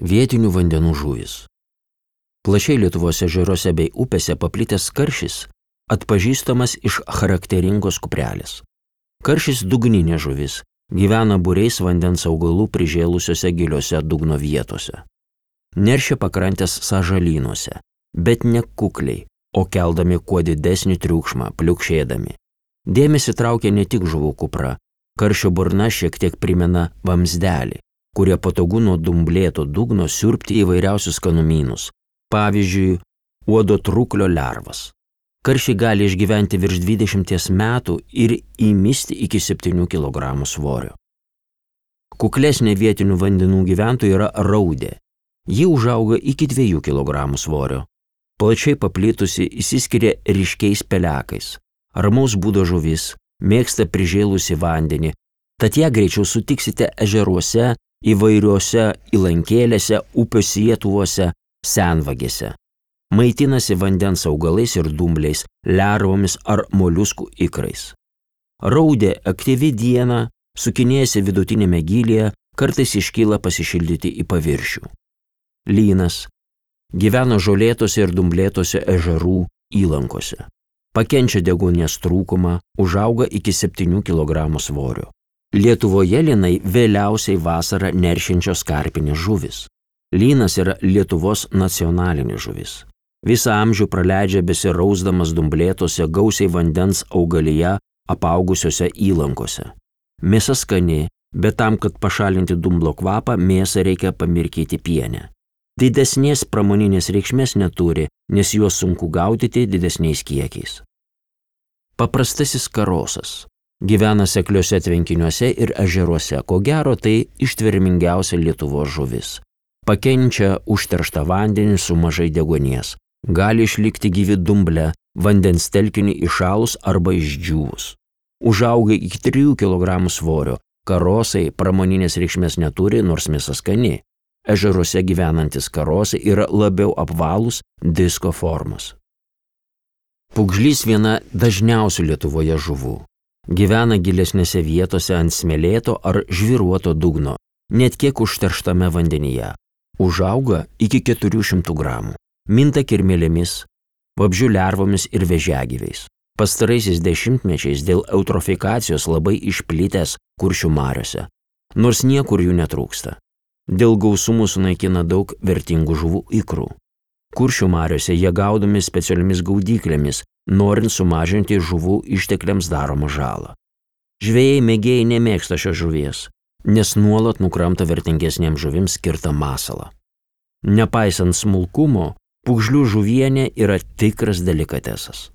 vietinių vandenų žuvys. Plačiai Lietuvos ežeruose bei upėse paplitęs karšis atpažįstamas iš charakteringos kuprelės. Karšis dugninė žuvis, gyvena būriais vandens augalų prižėlusiuose giliuose dugno vietose. Neršia pakrantės sąžalynuose, bet ne kukliai, o keldami kuo didesnį triukšmą, pliukšėdami. Dėmesį traukia ne tik žuvų kupra, karšio burna šiek tiek primena vamzdelį, kurie patogu nuo dumblėto dugno siurbti įvairiausius skanumynus, pavyzdžiui, uodo truklio lervas. Karšiai gali išgyventi virš 20 metų ir įmisti iki 7 kg svorio. Kuklesnė vietinių vandenų gyventojų yra raudė. Ji užauga iki 2 kg svorio. Plačiai paplitusi išsiskiria ryškiais pelekais. Ramaus būdo žuvis, mėgsta prižėlusi vandenį, tad ją greičiau sutiksite ežeruose, įvairiuose įlankėlėse, upių sietuvuose, senvagėse. Maitinasi vandens augalais ir dumbliais, lervomis ar moliuskų ikrais. Raudė aktyvi dieną, sukinėjasi vidutinėme gylyje, kartais iškyla pasišildyti į paviršių. Lynas gyvena žolėtose ir dumblėtose ežerų įlankose. Pakenčia deguonies trūkumą, užauga iki 7 kg svorio. Lietuvoje lynai vėliausiai vasarą neršiančios karpinės žuvis. Lynas yra Lietuvos nacionalinė žuvis. Visą amžių praleidžia besirausdamas dumblėtose gausiai vandens augalyje apaugusiose įlankose. Mėsa skani, bet tam, kad pašalinti dumblo kvapą, mėsą reikia pamirkyti piene. Didesnės pramoninės reikšmės neturi, nes juos sunku gaudyti didesniais kiekiais. Paprastasis karosas. Gyvena sekliuose tvenkiniuose ir ežeruose, ko gero tai ištvermingiausia Lietuvos žuvis. Pakenčia užterštą vandenį su mažai deguonies. Gali išlikti gyvi dumble, vandens telkinį įšalus arba išdžiūvus. Užauga iki 3 kg svorio. Karosai pramoninės reikšmės neturi, nors mėsa skani. Ežeruose gyvenantis karosai yra labiau apvalūs disko formos. Pugžlys viena dažniausių Lietuvoje žuvų. Gyvena gilesnėse vietose ant smėlėto ar žvyruoto dugno, net kiek užterštame vandenyje. Užauga iki 400 gramų. Minta kirmėlėmis, vabzdžių lervomis ir vėžiagyviais. Pastaraisiais dešimtmečiais dėl eutrofikacijos labai išplitęs Kuršių mariose, nors niekur jų netrūksta. Dėl gausumų sunaikina daug vertingų žuvų ikrų. Kuršių mariose jie gaudomi specialiomis gaudyklėmis, norint sumažinti žuvų ištekliams daromą žalą. Žvejai mėgėjai nemėgsta šios žuvies, nes nuolat nukramta vertingesniems žuvims skirtą masalą. Nepaisant smulkumo, pugžlių žuvienė yra tikras delikatesas.